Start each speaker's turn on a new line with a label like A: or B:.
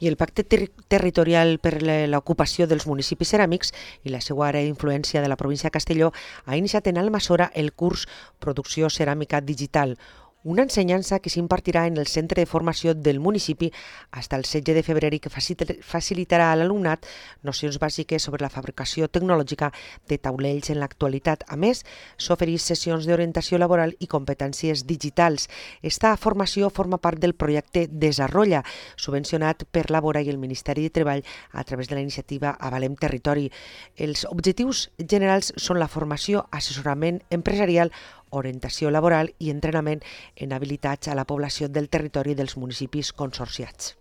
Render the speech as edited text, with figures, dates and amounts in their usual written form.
A: I el Pacte Territorial per l'Ocupació dels Municipis Ceràmics i la seva àrea d'influència de la província de Castelló ha iniciat en Almassora el curs Producció Ceràmica Digital, una ensenyança que s'impartirà en el centre de formació del municipi fins al 16 de febrer i que facilitarà a l'alumnat nocions bàsiques sobre la fabricació tecnològica de taulells en l'actualitat. A més, s'ofereix sessions d'orientació laboral i competències digitals. Esta formació forma part del projecte Desarrolla, subvencionat per la Vora i el Ministeri de Treball a través de la iniciativa Avalem Territori. Els objectius generals són la formació, assessorament empresarial, orientació laboral i entrenament en habilitats a la població del territori dels municipis consorciats.